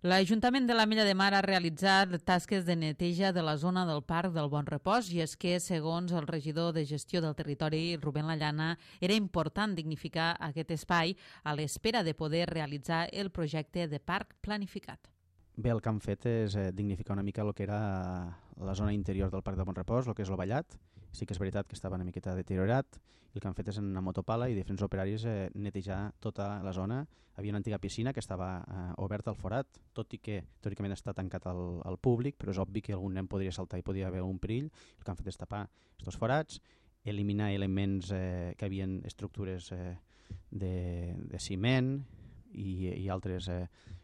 L'Ajuntament de l'Ametlla de Mar ha realitzat tasques de neteja de la zona del Parc del Bon Repòs i és que, segons el regidor de gestió del territori, Rubén Lallana, era important dignificar aquest espai a l'espera de poder realitzar el projecte de parc planificat. Bé, el que han fet és dignificar una mica el que era la zona interior del Parc del Bon Repòs, el que és el Vallat. Sí que és veritat que estava una miqueta deteriorat i el que han fet és en una motopala i diferents operaris netejar tota la zona. Havia una antiga piscina que estava oberta al forat, tot i que teòricament està tancat al públic, però és obvi que algun nen podria saltar i podia haver un perill. El que han fet és tapar aquests forats, eliminar elements que havien estructures de ciment i altres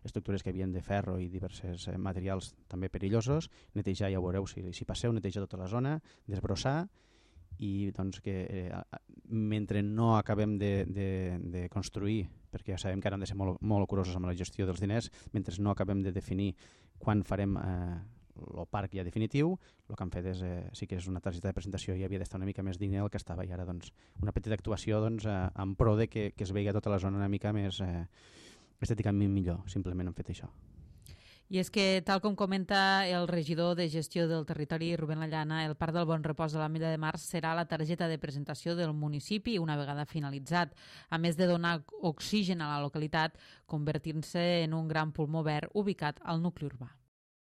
estructures que havien de ferro i diversos materials també perillosos, netejar, ja ho veureu si passeu, netejar tota la zona, desbrossar i doncs que mentre no acabem de construir, perquè ja sabem que ara hem de ser molt curosos amb la gestió dels diners, mentre no acabem de definir quan farem el parc ja definitiu, el que han fet és, sí que és una targeta de presentació i havia d'estar una mica més digne del que estava i ara doncs, una petita actuació doncs, en pro de que es vegi tota la zona una mica més estèticament millor, simplement han fet això. I és que, tal com comenta el regidor de gestió del territori, Rubén Lallana, el Parc del Bon Repòs de l'Ametlla de Mar serà la targeta de presentació del municipi una vegada finalitzat, a més de donar oxigen a la localitat, convertint-se en un gran pulmó verd ubicat al nucli urbà.